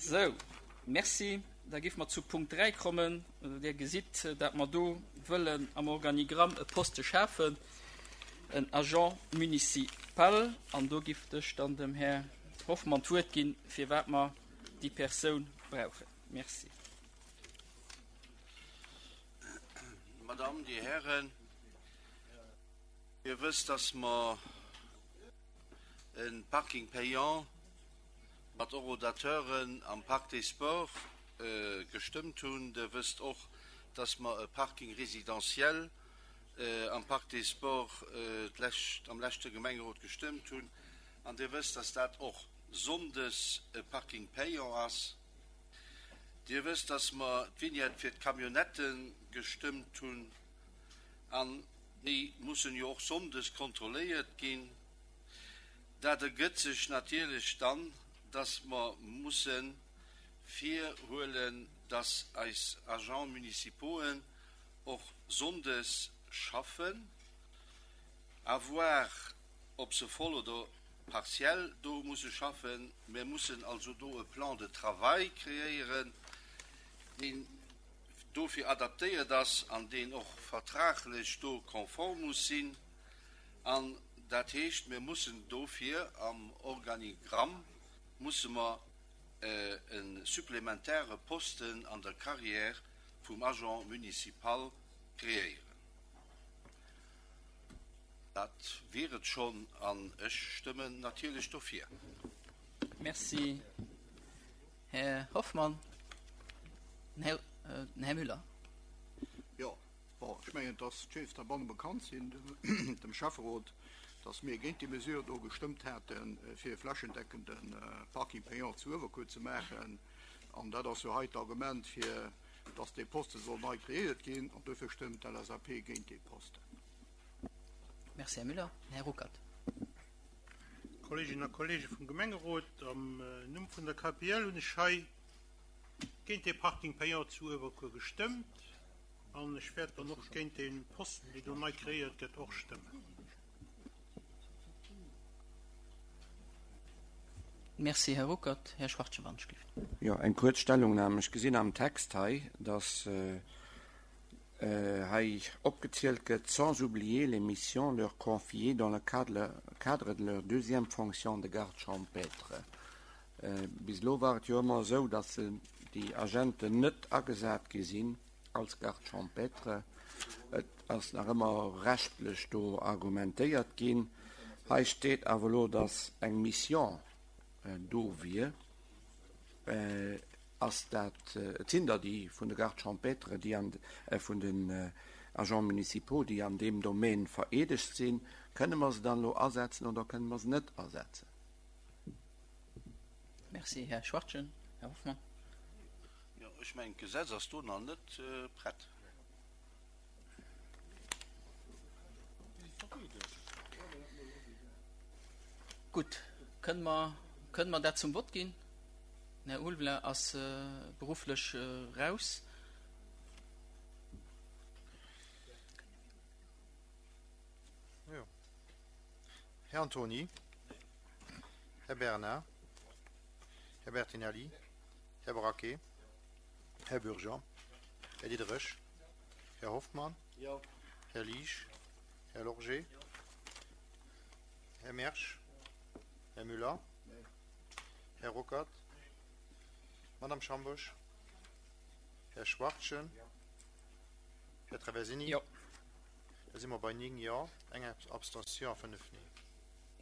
Sou, merci. Da géife mer zu Punkt 3 kommen. Dir gesitt, dat mer do wëllen am Organigramm e Poste schafen, en Agent municipal. An do giff ech dann dem Här Hoffmann d'Wuert ginn, firwat mer déi Persoun brauchen. Merci. Madame, Dir Hären, Dir wësst, dass mer e Parking payant mat Horodateuren am Parc des Sports gestëmmt hunn. Der wësst och, dass mer e Parking résidentiel am Parc des Sports d'lescht, am leschte Gemengerot gestëmmt hunn. An Dir wësst, dass dat och sonndes e Parking payant ass. Dir wësst, dass mer d'Vignette fir d'Camionnettë gestëmmt hunn. An déi mussen jo och sonndes kontrolléiert ginn. Dat ergëtt sech natierlech dann, dass mer musse virhuelen, dass eis Agents municipauxen och sonndes schaffen, à voir, ob se voll oder partiell do musse schaffen. Mir mussen also do e Plan de travail kreéieren, deen dofir adaptéiert ass an deen och vertraglech do konform muss sinn. An dat heescht, mir mussen dofir am Organigramm musse mer e supplementäre Posten an der Carrière vum Agent municipal kreéieren. Dat wier et schonn an ech stëmmen natierlech dofir. Merci, Här Hoffmann. Den Här Müller. Jo, bon, ech mengen, dass d'Chefs derbanne bekannt sinn dem Schäfferot, dass mir géint déi Mesure do gestëmmt haten, fir e flächendeckende Parking payant zu Uewerkuer ze maachen. An dat ass jo hei d'Argument, fir dass dee Poste soll nei kreéiert ginn. An dofir stëmmt d'LSAP géint dee Posten. Merci, Här Müller. Här Ruckert. Kolleeginnen a Kolleege vum Gemengerot, am Numm vun der KPL hunn ech hei géint dee Parking payant zu Uewerkuer gestëmmt an ech wäert dann och géint dee Posten, dee do nei kreéiert gëtt, och stëmmen. Merci, Här Ruckert. Här Schwartje-Wandschlift. Jo, eng kuerz Stellungnahme. Ech gesinn am Text hei, dass hei opgezielt gëtt, sans oublier les missions leur confiées dans le cadre de leur deuxième fonction de garde champêtre. Bis elo war et jo ëmmer esou, dass déi Agenten net agesat gi sinn als Garde champêtre. Et ass nach ëmmer rechtlech do argumentéiert ginn. Hei steet awer elo, dass eng Mission do wier. Ass dat, et sinn der déi vun de Gardes champêtres, déi an, vun den Agents municipaux, déi an deem Domaine vereedegt sinn. Kënne mer se dann elo asetzen oder kënne mer se net asetzen? Merci, Här Schwachtgen. Här Hoffmann. Jo, ech mengen, d'Gesetz ass do nach net prett. Gutt, kënne mer, kënne mer dat zum Vott ginn? Den Här Ulveling ass berufflech raus. Jo. Här Antony. Här Bernard. Här Bertinelli. Här Braquet. Här Bürger. Här Diderich. Här Hoffmann. Här Liesch. Här Lorgé. Här Mersch. Här Müller. Här Ruckert. Madame Schambusch. Här Schwachtgen. Här Traversini. Jo. Da si mer bei 9 Jo, eng Abstention a 5 Nee.